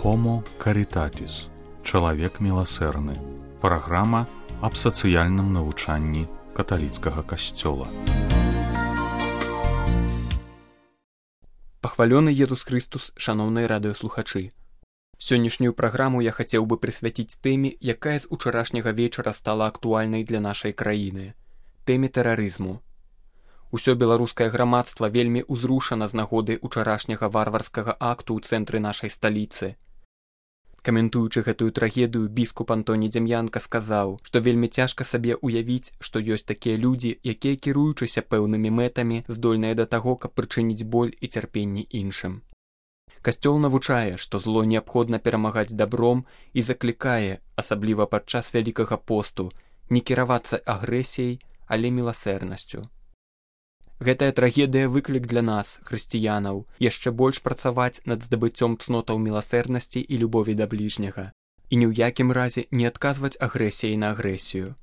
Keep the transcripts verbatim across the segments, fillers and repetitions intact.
Homo Caritatis. Чалавек міласэрны. Праграма аб сацыяльным навучанні каталіцкага касцёла. Пахвалёны Езус Хрыстус, шаноўныя радыёслухачы. Сённяшнюю праграму я хацеў бы прысвяціць тэме, якая з учарашняга вечара стала актуальнай для нашай краіны. Тэме тэрарызму. Усё беларускае грамадства вельмі ўзрушана з нагоды учарашняга варварскага акту ў цэнтры нашай сталіцы. Каментуючы гэтую трагедыю, біскуп Антоній Дзям'янка сказаў, што вельмі цяжка сабе ўявіць, што ёсць такія людзі, якія, кіруючыся пэўнымі мэтамі, здольныя да таго, каб прычыніць боль і цярпенне іншым. Касцёл навучае, што зло неабходна перамагаць дабром і заклікае, асабліва падчас вялікага посту, не кіравацца агрэсіяй, але міласэрнасцю. Гэтая трагедыя выклік для нас, хрысціянаў, яшчэ больш працаваць над здабыццём цнотаў міласэрнасці і любові да бліжняга, і ні ў якім разе не адказваць агрэсіяй на агрэсію.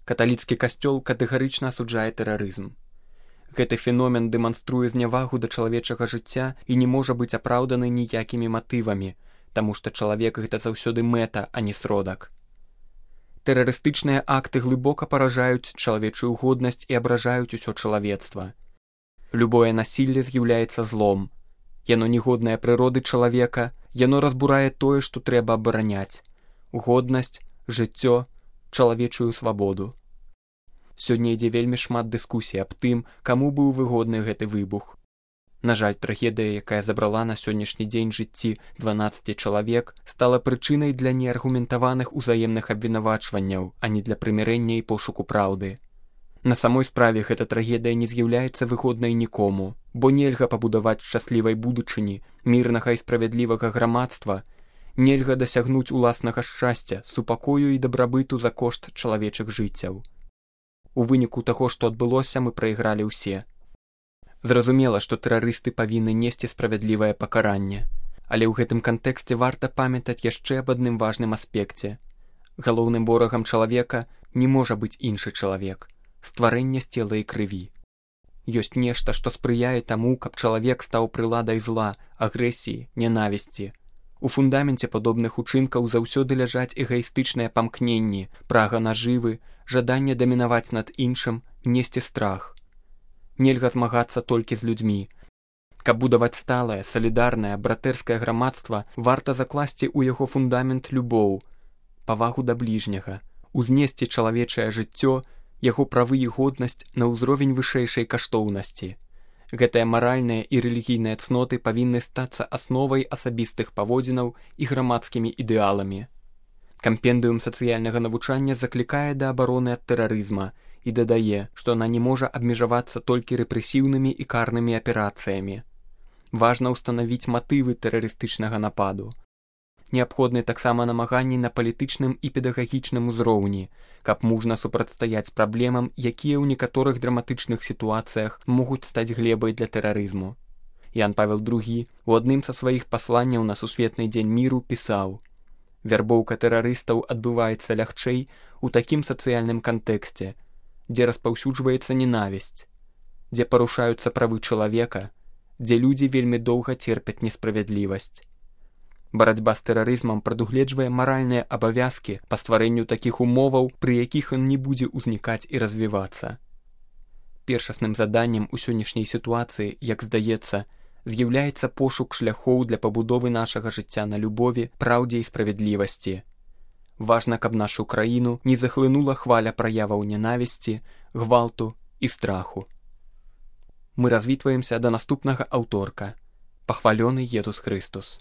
Каталіцкі касцёл катэгарычна асуджае тэрарызм. Гэты феномен дэманструе знявагу да чалавечага жыцця і не можа быць апраўданы ніякімі матывамі, таму што чалавек гэта заўсёды мэта, а не сродак. Тэрарыстычныя акты глыбока паражаюць чалавечую годнасць і абражаюць усё чалавецтва. Любое насілле з'яўляецца злом. Яно негоднае прыроды чалавека, яно разбурае тое, што трэба абараняць: годнасць, жыццё, чалавечую свабоду. Сёння ідзе вельмі шмат дыскусій аб тым, каму быў выгодны гэты выбух. На жаль, трагедыя, якая забрала на сённяшні дзень жыцці дванаццаць чалавек, стала прычынай для неаргументаваных узаемных абвінавачванняў, а не для прымірэння і пошуку праўды. На самой справе гэта трагедыя не з'яўляецца выгоднай нікому, бо нельга пабудаваць шчаслівай будучыні, мірнага і справядлівага грамадства, нельга дасягнуць уласнага шчасця, супакою і дабрабыту за кошт чалавечых жыццяў. У выніку таго, што адбылося, мы прайгралі ўсе. Зразумела, што тэрарысты павінны несці справядлівае пакаранне, але ў гэтым кантэксце варта памятаць яшчэ аб адным важным аспекце. Галоўным ворагам чалавека не можа быць іншы чалавек, стварэнне з цела і крыві. Ёсць нешта, што спрыяе таму, каб чалавек стаў прыладай зла, агрэсіі, нянавісці. У фундаменце падобных учынкаў заўсёды ляжаць эгаістычныя памкненні, прага нажывы, жаданне дамінаваць над іншым, несці страх. Нельга змагацца толькі з людзьмі. Каб будаваць сталае, салідарнае, братэрскае грамадства, варта закласці ў яго фундамент любоў, павагу да бліжняга, узнесці чалавечае жыццё, яго правы і годнасць на ўзровень вышэйшай каштоўнасці. Гэтыя маральныя і рэлігійныя цноты павінны стацца асновай асабістых паводзінаў і грамадскімі ідэаламі. Кампендыум сацыяльнага навучання заклікае да абароны ад тэрарызма і дадае, што она не можа абмежавацца толькі рэпрэсіўнымі і карнымі аперацыямі. Важна ўстанавіць матывы тэрарыстычнага нападу. Неабходны таксама намаганні на палітычным і педагагічным узроўні, каб мужна супрацьстаяць праблемам, якія ў некаторых драматычных сітуацыях могуць стаць глебай для тэрарызму. Ян Павел другі у адным са сваіх пасланняў на Сусветны дзень міру пісаў: «Вярбоўка тэрарыстаў адбываецца лягчэй у такім сацыяльным кантэксце, дзе распаўсюджваецца ненавісць, дзе парушаюцца правы чалавека, дзе людзі вельмі доўга церпяць несправядлівасць. Барацьба з тэрарызмам прадугледжвае маральныя абавязкі па стварэнню такіх умоваў, пры якіх ён не будзе ўзнікаць і развівацца. Першасным заданнем у сённяшняй сітуацыі, як здаецца, з'яўляецца пошук шляхоў для пабудовы нашага жыцця на любові, праўдзе і справядлівасці. Важна, каб нашу краіну не захлынула хваля праяваў ненавісці, гвалту і страху». Мы развітваемся да наступнага аўторка. Пахвалёны Езус Хрыстус.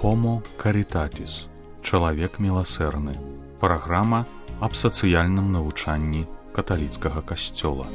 Homo Caritatis. Чалавек міласэрны. Праграма аб сацыяльным навучанні каталіцкага касцёла.